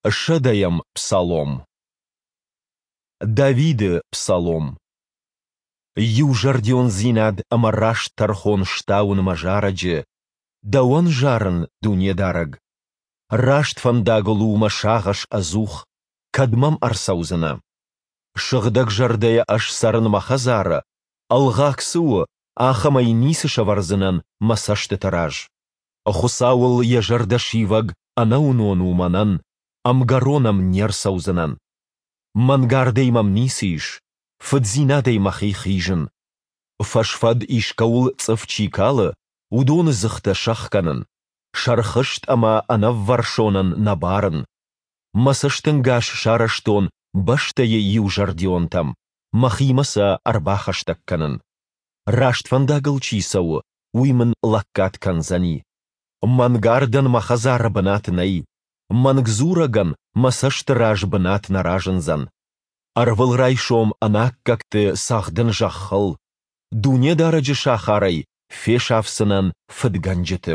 Сӕдӕйӕм псалом. Давиды псалом. Иузӕрдиондзинад ӕмӕ раст тӕрхон стауын мӕ зарӕджы, Дӕуӕн зарын, Дунедарӕг. Раст фӕндагыл у мӕ сагъӕс ӕдзух, кӕд мӕм ӕрцӕудзынӕ? Сыгъдӕгзӕрдӕйӕ ӕз цӕрын мӕ хӕдзары, ӕлгъаг цы у, ахӕмӕй ницы сӕвӕрдзынӕн мӕ цӕстыты раз. Хуыцауыл йӕ зӕрдӕ сивӕг ӕнӕуынон у мӕнӕн, ӕмгӕрон ӕм не рцӕудзынӕн. Мӕнгардӕй мӕм ницы ис, фыддзинадӕй мӕхи хизын. Фӕсфӕд искӕуыл цъыф чи калы, уыдоны дзыхтӕ сӕхгӕнын, сӕрхызт ӕмӕ ӕнӕввӕрсонӕн нӕ барын. Мӕ цӕстӕнгас сарӕзтон бӕстӕйы иузӕрдионтӕм, мӕхимӕ сӕ ӕрбахӕстӕг кӕнын. Раст фӕндагыл чи цӕуы, уый мын лӕггад кӕндзӕни. Мӕнгардӕн мӕ хӕдзары бынат нӕй, мӕнгдзурӕгӕн мӕ цӕсты раз бынат нӕ разындзӕн. Ӕрвылрайсом ӕнаккӕгты цӕгъдын зӕххыл, Дунедарӕджы сахарӕй фесафдзынӕн фыдгӕнджыты.